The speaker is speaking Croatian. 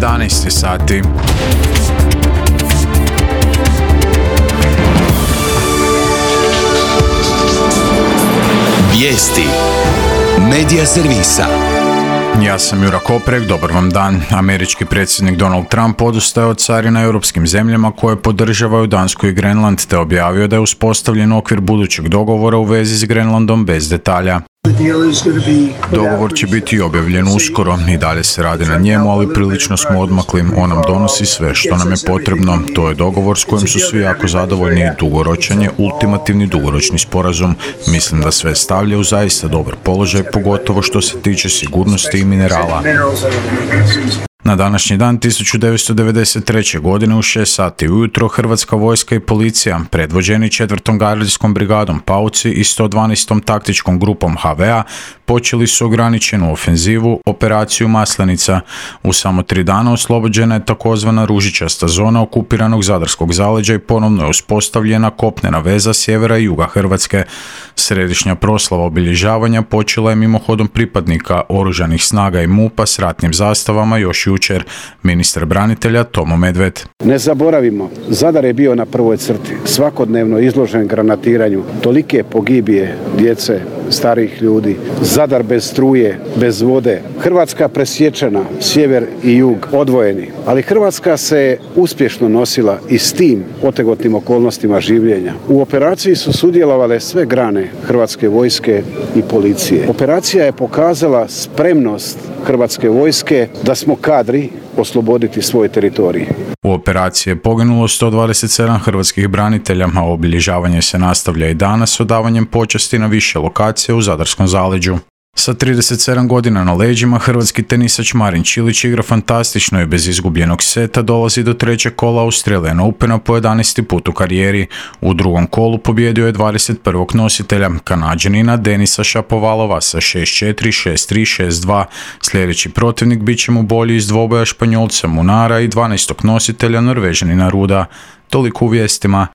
11 sati. Vijesti Medija servisa. Ja sam Jura Koprek, dobar vam dan. Američki predsjednik Donald Trump odustaje od carina europskim zemljama koje podržavaju Dansku i Grenland, te objavio da je uspostavljen okvir budućeg dogovora u vezi s Grenlandom bez detalja. Dogovor će biti objavljen uskoro, i dalje se radi na njemu, ali prilično smo odmakli. On nam donosi sve što nam je potrebno. To je dogovor s kojim su svi jako zadovoljni i dugoročan je ultimativni dugoročni sporazum. Mislim da sve stavlja u zaista dobar položaj, pogotovo što se tiče sigurnosti i minerala. Na današnji dan 1993. godine u 6 sati ujutro Hrvatska vojska i policija, predvođeni 4. gardijskom brigadom Pauci i 112. taktičkom grupom HV-a, počeli su ograničenu ofenzivu Operaciju Maslenica. U samo 3 dana oslobođena je takozvana ružičasta zona okupiranog Zadarskog zaleđa i ponovno je uspostavljena kopnena veza sjevera i juga Hrvatske. Središnja proslava obilježavanja počela je mimohodom pripadnika oružanih snaga i MUP-a s ratnim zastavama još jučer. Ministar branitelja Tomo Medved. Ne zaboravimo, Zadar je bio na prvoj crti, svakodnevno izložen granatiranju, tolike pogibije djece, starih ljudi, Zadar bez struje, bez vode, Hrvatska presječena, sjever i jug odvojeni. Ali Hrvatska se uspješno nosila i s tim otegotnim okolnostima življenja. U operaciji su sudjelovale sve grane Hrvatske vojske i policije. Operacija je pokazala spremnost Hrvatske vojske da smo kadri osloboditi svoj teritorij. U operaciji je poginulo 127 hrvatskih branitelja, a obilježavanje se nastavlja i danas odavanjem počasti na više lokacije u Zadarskom zaleđu. Sa 37 godina na leđima, hrvatski tenisač Marin Čilić igra fantastično i bez izgubljenog seta dolazi do trećeg kola Australian Opena po 11. put u karijeri. U drugom kolu pobjedio je 21. nositelja, Kanađanina Denisa Šapovalova sa 6-4, 6-3, 6-2. Sljedeći protivnik bit će mu bolji iz dvoboja Španjolca Munara i 12. nositelja Norvežanina Ruda. Toliko u vijestima.